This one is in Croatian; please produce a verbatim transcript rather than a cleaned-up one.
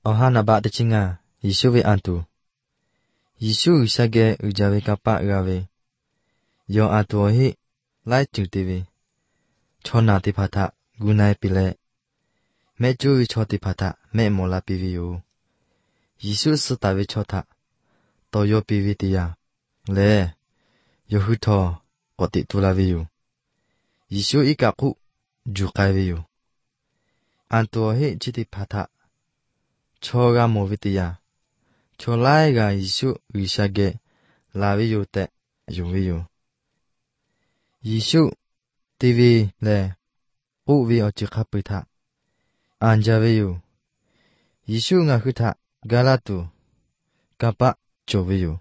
Ohana ba de chinga, Yishuwe antu. Yishu shage ujawe kapa gawe. Yo antu ohi, lai chutiwe. Chona ti pata, gunai pile. Me juwi choti pata, me mola piwi yo. Yishu sutawe chota. Toyo piwi tiya. Le, yo huto, koti tulawe yo. Yishu ikaku, jukawe yo. Antu ohi chiti pata. Choga movitiya. Cholai ga Yishu wishage lawe yo te yuwe yo. Yishu tiwi le uwi ochikapita. Anjawe yo. Yishu nga huta galatu kapa chowe yo.